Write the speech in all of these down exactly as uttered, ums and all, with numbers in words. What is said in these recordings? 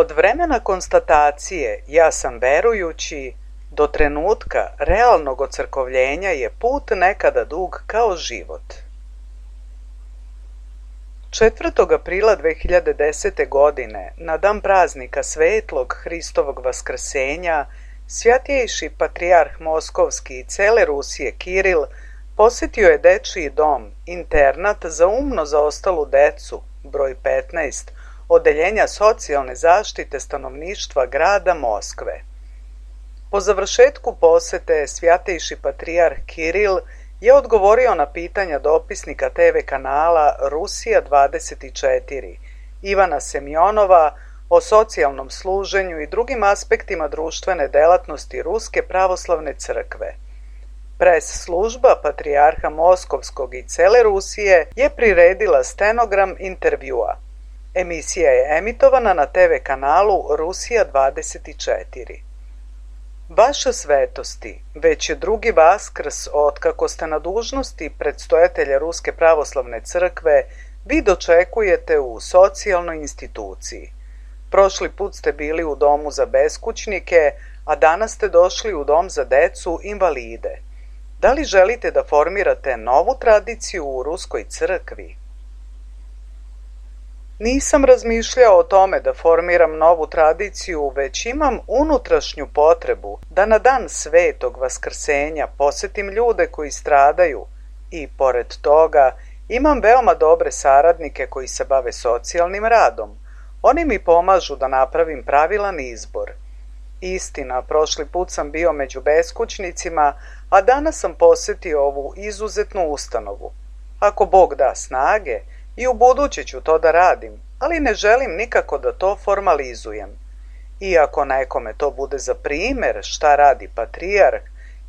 Od vremena konstatacije ja sam verujući do trenutka realnog ocrkovljenja je put nekada dug kao život. četvrtog aprila dve hiljade desete. godine, na dan praznika svetlog Hristovog vaskrsenja, svjatjejši patrijarh Moskovski i cele Rusije Kiril posjetio je dečiji dom, internat za umno zaostalu decu, broj petnaest, Odeljenja socijalne zaštite stanovništva grada Moskve. Po završetku posete svjatejši patrijarh Kiril je odgovorio na pitanja dopisnika te ve kanala Rusija dvadeset četiri Ivana Semjonova o socijalnom služenju i drugim aspektima društvene delatnosti Ruske pravoslavne crkve. Pres služba patrijarha Moskovskog i cele Rusije je priredila stenogram intervjua. Emisija je emitovana na te ve kanalu Rusija dvadeset četiri. Vaša svetosti, već je drugi Vaskrs otkako ste na dužnosti predstojatelja Ruske pravoslavne crkve, vi dočekujete u socijalnoj instituciji. Prošli put ste bili u domu za beskućnike, a danas ste došli u dom za decu invalide. Da li želite da formirate novu tradiciju u Ruskoj crkvi? Nisam razmišljao o tome da formiram novu tradiciju, već imam unutrašnju potrebu da na dan svetog vaskrsenja posjetim ljude koji stradaju i, pored toga, imam veoma dobre saradnike koji se bave socijalnim radom. Oni mi pomažu da napravim pravilan izbor. Istina, prošli put sam bio među beskućnicima, a danas sam posjetio ovu izuzetnu ustanovu. Ako Bog da snage, i u buduće ću to da radim, ali ne želim nikako da to formalizujem. Iako nekome to bude za primjer šta radi patrijarh,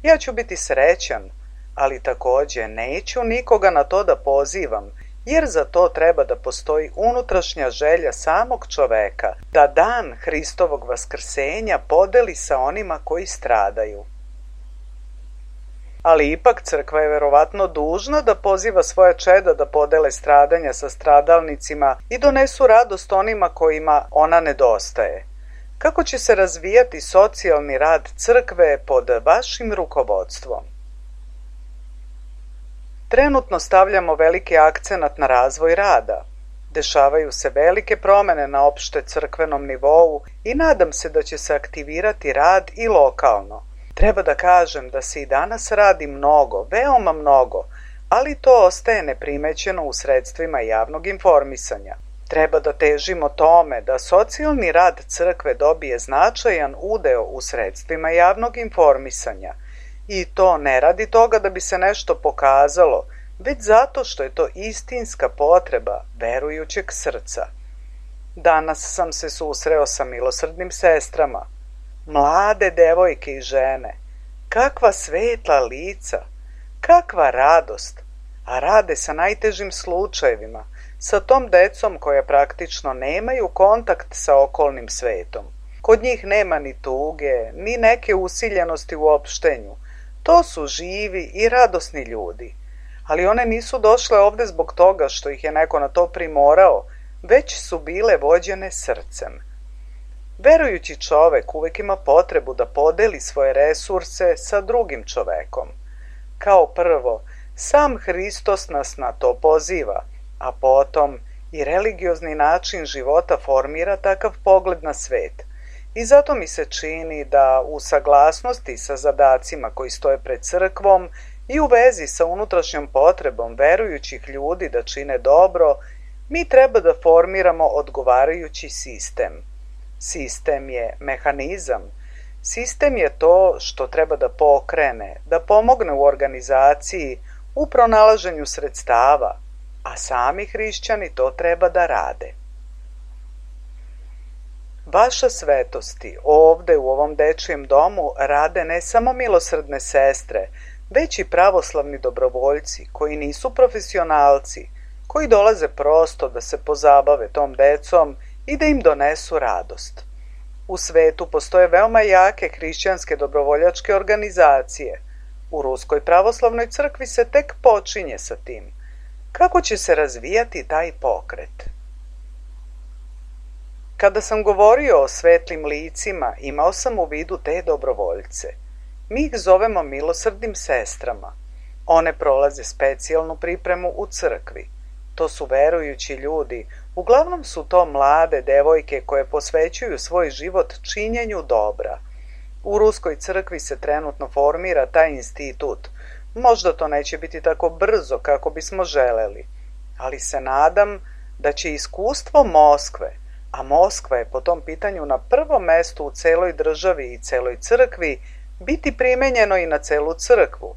ja ću biti srećan, ali također neću nikoga na to da pozivam, jer za to treba da postoji unutrašnja želja samog čoveka, da dan Hristovog vaskrsenja podeli sa onima koji stradaju. Ali ipak crkva je verovatno dužna da poziva svoje čeda da podele stradanja sa stradalnicima i donesu radost onima kojima ona nedostaje. Kako će se razvijati socijalni rad crkve pod vašim rukovodstvom? Trenutno stavljamo veliki akcenat na razvoj rada. Dešavaju se velike promjene na opšte crkvenom nivou i nadam se da će se aktivirati rad i lokalno. Treba da kažem da se i danas radi mnogo, veoma mnogo, ali to ostaje neprimećeno u sredstvima javnog informisanja. Treba da težimo tome da socijalni rad crkve dobije značajan udeo u sredstvima javnog informisanja. I to ne radi toga da bi se nešto pokazalo, već zato što je to istinska potreba verujućeg srca. Danas sam se susreo sa milosrdnim sestrama. Mlade devojke i žene, kakva svetla lica, kakva radost, a rade sa najtežim slučajevima, sa tom decom koja praktično nemaju kontakt sa okolnim svetom. Kod njih nema ni tuge, ni neke usiljenosti u opštenju. To su živi i radosni ljudi. Ali one nisu došle ovde zbog toga što ih je neko na to primorao, već su bile vođene srcem. Verujući čovek uvek ima potrebu da podeli svoje resurse sa drugim čovekom. Kao prvo, sam Hristos nas na to poziva, a potom i religiozni način života formira takav pogled na svet. I zato mi se čini da u saglasnosti sa zadacima koji stoje pred crkvom i u vezi sa unutrašnjom potrebom verujućih ljudi da čine dobro, mi treba da formiramo odgovarajući sistem. Sistem je mehanizam. Sistem je to što treba da pokrene, da pomogne u organizaciji, u pronalaženju sredstava, a sami hrišćani to treba da rade. Vaša svetosti ovde u ovom dečijem domu rade ne samo milosrdne sestre, već i pravoslavni dobrovoljci koji nisu profesionalci, koji dolaze prosto da se pozabave tom decom i da im donesu radost. U svetu postoje veoma jake hrišćanske dobrovoljačke organizacije. U Ruskoj pravoslavnoj crkvi se tek počinje sa tim. Kako će se razvijati taj pokret? Kada sam govorio o svetlim licima, imao sam u vidu te dobrovoljce. Mi ih zovemo milosrdnim sestrama. One prolaze specijalnu pripremu u crkvi. To su verujući ljudi, uglavnom su to mlade devojke koje posvećuju svoj život činjenju dobra. U Ruskoj crkvi se trenutno formira taj institut. Možda to neće biti tako brzo kako bismo želeli, ali se nadam da će iskustvo Moskve, a Moskva je po tom pitanju na prvom mestu u celoj državi i celoj crkvi, biti primenjeno i na celu crkvu.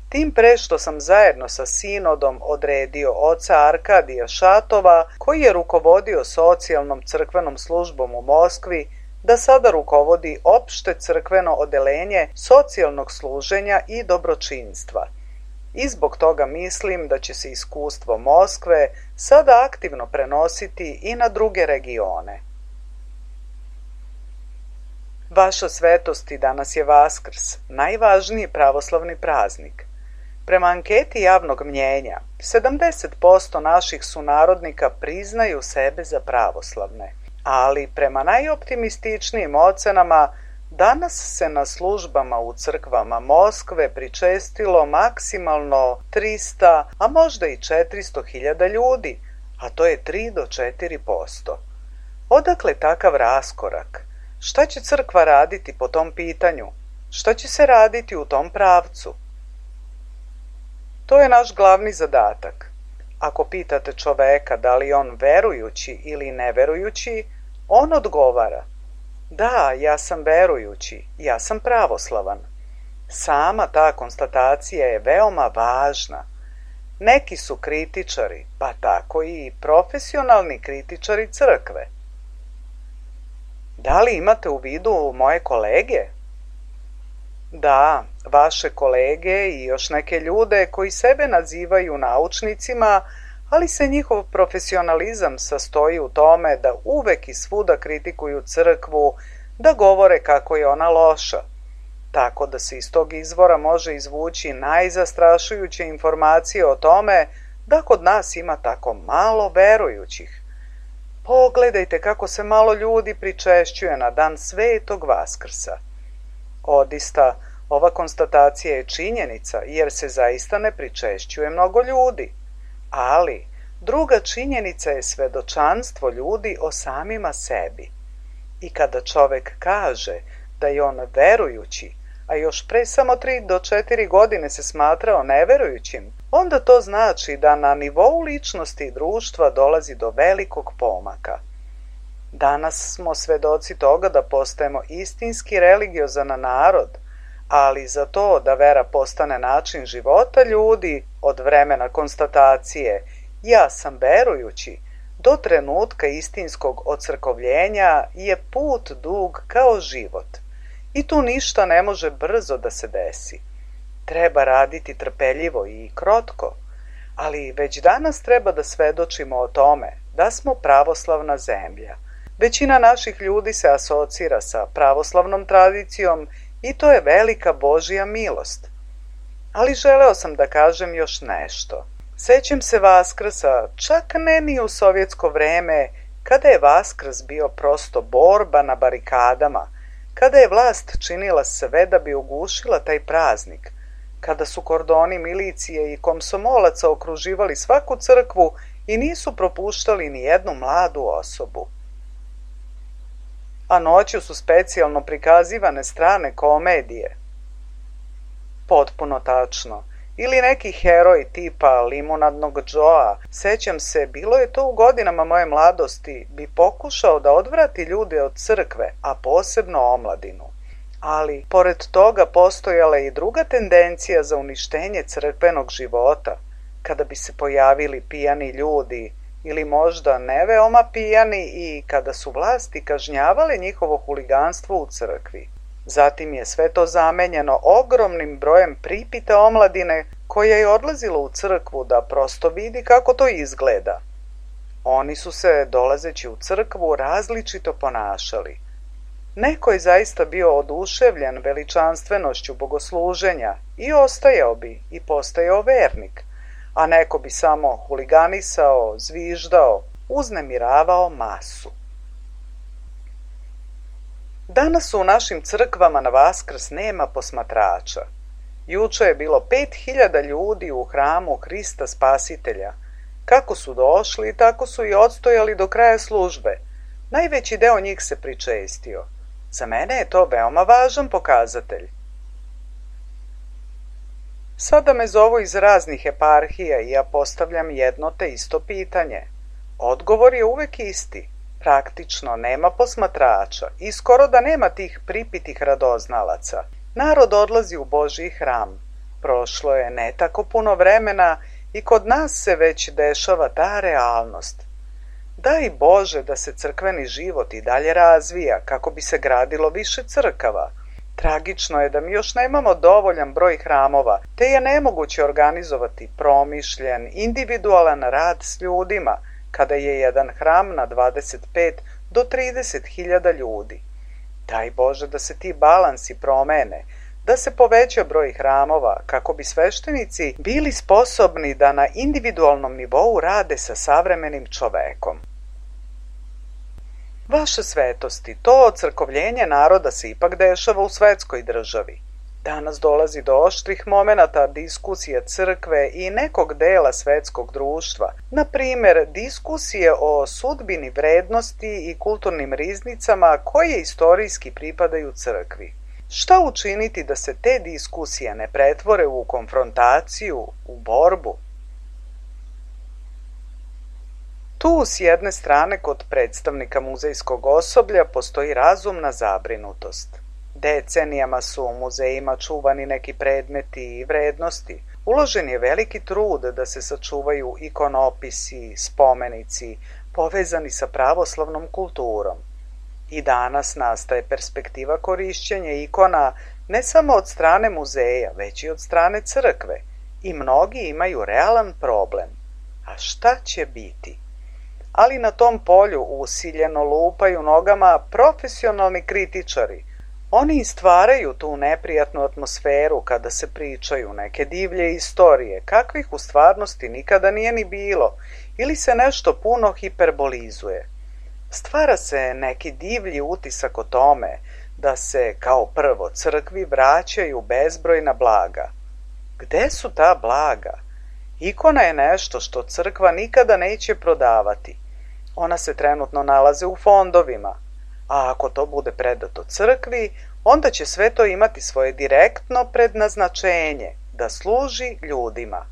Tim pre što sam zajedno sa sinodom odredio oca Arkadija Šatova, koji je rukovodio socijalnom crkvenom službom u Moskvi, da sada rukovodi opšte crkveno odelenje socijalnog služenja i dobročinstva. I zbog toga mislim da će se iskustvo Moskve sada aktivno prenositi i na druge regione. Vaša svetosti, danas je Vaskrs, najvažniji pravoslavni praznik. Prema anketi javnog mnjenja, sedamdeset posto naših sunarodnika priznaju sebe za pravoslavne, ali prema najoptimističnijim ocenama, danas se na službama u crkvama Moskve pričestilo maksimalno trista, a možda i četiristo hiljada ljudi, a to je tri do četiri posto. Odakle takav raskorak? Šta će crkva raditi po tom pitanju? Šta će se raditi u tom pravcu? To je naš glavni zadatak. Ako pitate čoveka da li on verujući ili neverujući, on odgovara: da, ja sam verujući, ja sam pravoslavan. Sama ta konstatacija je veoma važna. Neki su kritičari, pa tako i profesionalni kritičari crkve. Da li imate u vidu moje kolege? Da, vaše kolege i još neke ljude koji sebe nazivaju naučnicima, ali se njihov profesionalizam sastoji u tome da uvek i svuda kritikuju crkvu, da govore kako je ona loša. Tako da se iz tog izvora može izvući najzastrašujuće informacije o tome da kod nas ima tako malo verujućih. Pogledajte kako se malo ljudi pričešćuje na dan Svetog Vaskrsa. Odista, ova konstatacija je činjenica, jer se zaista ne pričešćuje mnogo ljudi. Ali, druga činjenica je svedočanstvo ljudi o samima sebi. I kada čovek kaže da je on verujući, a još pre samo tri do četiri godine se smatrao neverujućim, onda to znači da na nivou ličnosti i društva dolazi do velikog pomaka. Danas smo svedoci toga da postajemo istinski religiozan narod, ali za to da vera postane način života ljudi od vremena konstatacije ja sam verujući do trenutka istinskog ocrkovljenja je put dug kao život. I tu ništa ne može brzo da se desi. Treba raditi trpeljivo i krotko, ali već danas treba da svedočimo o tome da smo pravoslavna zemlja. Većina naših ljudi se asocira sa pravoslavnom tradicijom i to je velika Božja milost. Ali želeo sam da kažem još nešto. Sećam se Vaskrsa, čak ne ni u sovjetsko vreme, kada je Vaskrs bio prosto borba na barikadama, kada je vlast činila sve da bi ugušila taj praznik, kada su kordoni milicije i komsomolaca okruživali svaku crkvu i nisu propuštali ni jednu mladu osobu. A noću su specijalno prikazivane strane komedije. Potpuno tačno. Ili neki heroj tipa Limunadnog Džoa, sećam se, bilo je to u godinama moje mladosti, bi pokušao da odvrati ljude od crkve, a posebno omladinu. Ali, pored toga postojala je i druga tendencija za uništenje crkvenog života, kada bi se pojavili pijani ljudi, ili možda ne veoma pijani i kada su vlasti kažnjavale njihovo huliganstvo u crkvi. Zatim je sve to zamenjeno ogromnim brojem pripite omladine koja je odlazila u crkvu da prosto vidi kako to izgleda. Oni su se, dolazeći u crkvu, različito ponašali. Neko je zaista bio oduševljen veličanstvenošću bogosluženja i ostajao bi i postajao vernik, a neko bi samo huliganisao, zviždao, uznemiravao masu. Danas u našim crkvama na Vaskrs nema posmatrača. Juče je bilo pet hiljada ljudi u hramu Hrista Spasitelja. Kako su došli, tako su i odstojali do kraja službe. Najveći deo njih se pričestio. Za mene je to veoma važan pokazatelj. Sada me zovu iz raznih eparhija i ja postavljam jedno te isto pitanje. Odgovor je uvek isti. Praktično nema posmatrača i skoro da nema tih pripitih radoznalaca. Narod odlazi u Božji hram. Prošlo je ne tako puno vremena i kod nas se već dešava ta realnost. Daj Bože da se crkveni život i dalje razvija kako bi se gradilo više crkava. Tragično je da mi još nemamo dovoljan broj hramova, te je nemoguće organizovati promišljen, individualan rad s ljudima, kada je jedan hram na dvadeset pet do trideset hiljada ljudi. Daj Bože da se ti balansi promene, da se poveća broj hramova kako bi sveštenici bili sposobni da na individualnom nivou rade sa savremenim čovekom. Vaše svetosti, to ocrkovljenje naroda se ipak dešava u svetskoj državi. Danas dolazi do oštrih momenata diskusija crkve i nekog dela svetskog društva, na primjer diskusije o sudbini vrednosti i kulturnim riznicama koje istorijski pripadaju crkvi. Šta učiniti da se te diskusije ne pretvore u konfrontaciju, u borbu? Tu s jedne strane kod predstavnika muzejskog osoblja postoji razumna zabrinutost. Decenijama su u muzejima čuvani neki predmeti i vrednosti. Uložen je veliki trud da se sačuvaju ikonopisi, spomenici, povezani sa pravoslavnom kulturom. I danas nastaje perspektiva korišćenja ikona ne samo od strane muzeja, već i od strane crkve. I mnogi imaju realan problem. A šta će biti? Ali na tom polju usiljeno lupaju nogama profesionalni kritičari. Oni stvaraju tu neprijatnu atmosferu kada se pričaju neke divlje istorije, kakvih u stvarnosti nikada nije ni bilo, ili se nešto puno hiperbolizuje. Stvara se neki divlji utisak o tome da se, kao prvo, crkvi vraćaju bezbrojna blaga. Gde su ta blaga? Ikona je nešto što crkva nikada neće prodavati. Ona se trenutno nalaze u fondovima, a ako to bude predato crkvi, onda će sve to imati svoje direktno prednaznačenje, da služi ljudima.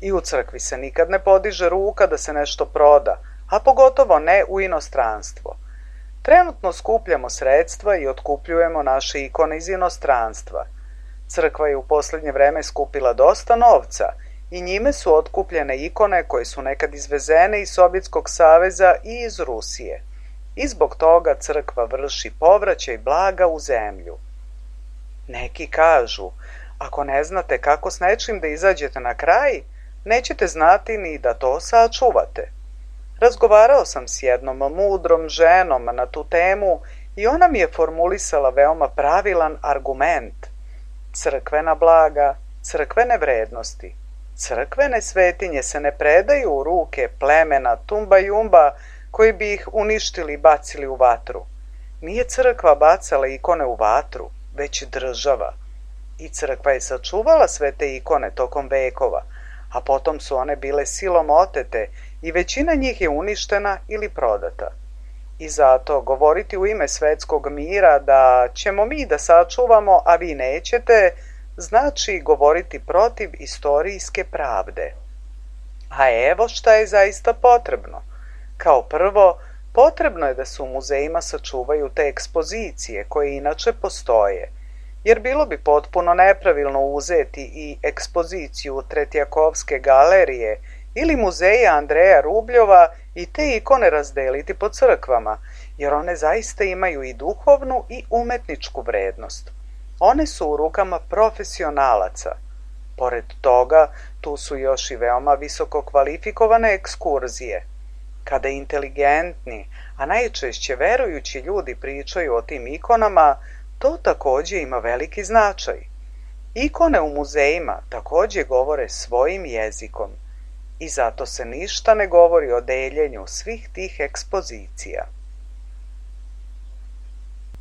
I u crkvi se nikad ne podiže ruka da se nešto proda, a pogotovo ne u inostranstvo. Trenutno skupljamo sredstva i otkupljujemo naše ikone iz inostranstva. Crkva je u posljednje vreme skupila dosta novca i njime su otkupljene ikone koje su nekad izvezene iz Sovjetskog saveza i iz Rusije. I zbog toga crkva vrši povraćaj blaga u zemlju. Neki kažu, ako ne znate kako s nečim da izađete na kraj, nećete znati ni da to sačuvate. Razgovarao sam s jednom mudrom ženom na tu temu i ona mi je formulisala veoma pravilan argument. Crkvena blaga, crkvene vrednosti, crkvene svetinje se ne predaju u ruke plemena tumba jumba koji bi ih uništili i bacili u vatru. Nije crkva bacala ikone u vatru, već država. I crkva je sačuvala sve te ikone tokom vekova, a potom su one bile silom otete i većina njih je uništena ili prodata. I zato govoriti u ime svetskog mira da ćemo mi da sačuvamo, a vi nećete, znači govoriti protiv istorijske pravde. A evo šta je zaista potrebno. Kao prvo, potrebno je da se u muzejima sačuvaju te ekspozicije koje inače postoje, jer bilo bi potpuno nepravilno uzeti i ekspoziciju Tretjakovske galerije ili muzeja Andreja Rubljova i te ikone razdeliti po crkvama, jer one zaista imaju i duhovnu i umetničku vrednost. One su u rukama profesionalaca. Pored toga, tu su još i veoma visoko kvalifikovane ekskurzije. Kada inteligentni, a najčešće verujući ljudi pričaju o tim ikonama, to takođe ima veliki značaj. Ikone u muzejima takođe govore svojim jezikom i zato se ništa ne govori o deljenju svih tih ekspozicija.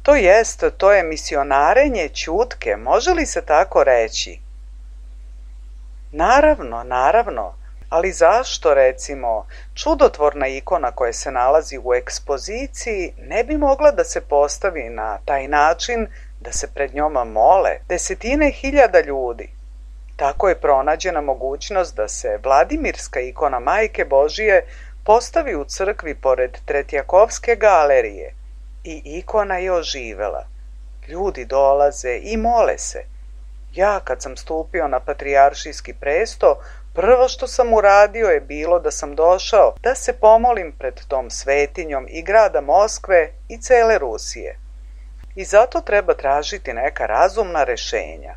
To jest, to je misionarenje ćutke, može li se tako reći? Naravno, naravno, ali zašto, recimo, čudotvorna ikona koja se nalazi u ekspoziciji ne bi mogla da se postavi na taj način da se pred njoma mole desetine hiljada ljudi? Tako je pronađena mogućnost da se Vladimirska ikona Majke Božije postavi u crkvi pored Tretjakovske galerije i ikona je oživela. Ljudi dolaze i mole se. Ja, kad sam stupio na patrijaršijski presto, prvo što sam uradio je bilo da sam došao da se pomolim pred tom svetinjom i grada Moskve i cele Rusije. I zato treba tražiti neka razumna rešenja.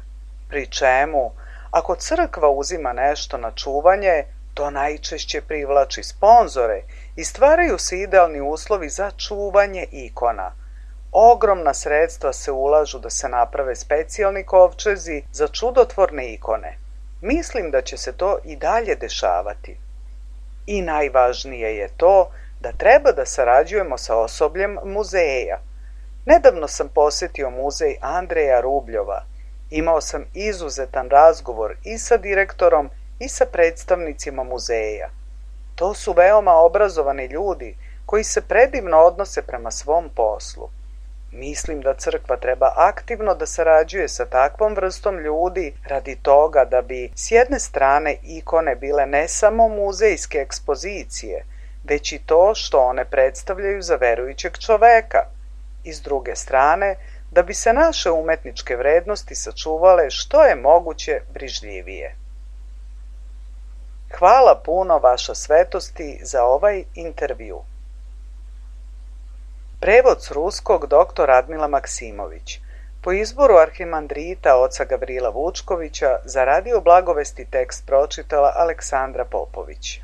Pri čemu, ako crkva uzima nešto na čuvanje, to najčešće privlači sponzore i stvaraju se idealni uslovi za čuvanje ikona. Ogromna sredstva se ulažu da se naprave specijalni kovčezi za čudotvorne ikone. Mislim da će se to i dalje dešavati. I najvažnije je to da treba da sarađujemo sa osobljem muzeja. Nedavno sam posetio muzej Andreja Rubljova. Imao sam izuzetan razgovor i sa direktorom i sa predstavnicima muzeja. To su veoma obrazovani ljudi koji se predivno odnose prema svom poslu. Mislim da crkva treba aktivno da sarađuje sa takvom vrstom ljudi radi toga da bi s jedne strane ikone bile ne samo muzejske ekspozicije, već i to što one predstavljaju za verujućeg čoveka. I s druge strane, da bi se naše umetničke vrednosti sačuvale što je moguće brižljivije. Hvala puno, vaša svetosti, za ovaj intervju. Prevod s ruskog dr. Radmila Maksimović. Po izboru arhimandrita oca Gavrila Vučkovića za Radio Blagovesti tekst pročitala Aleksandra Popović.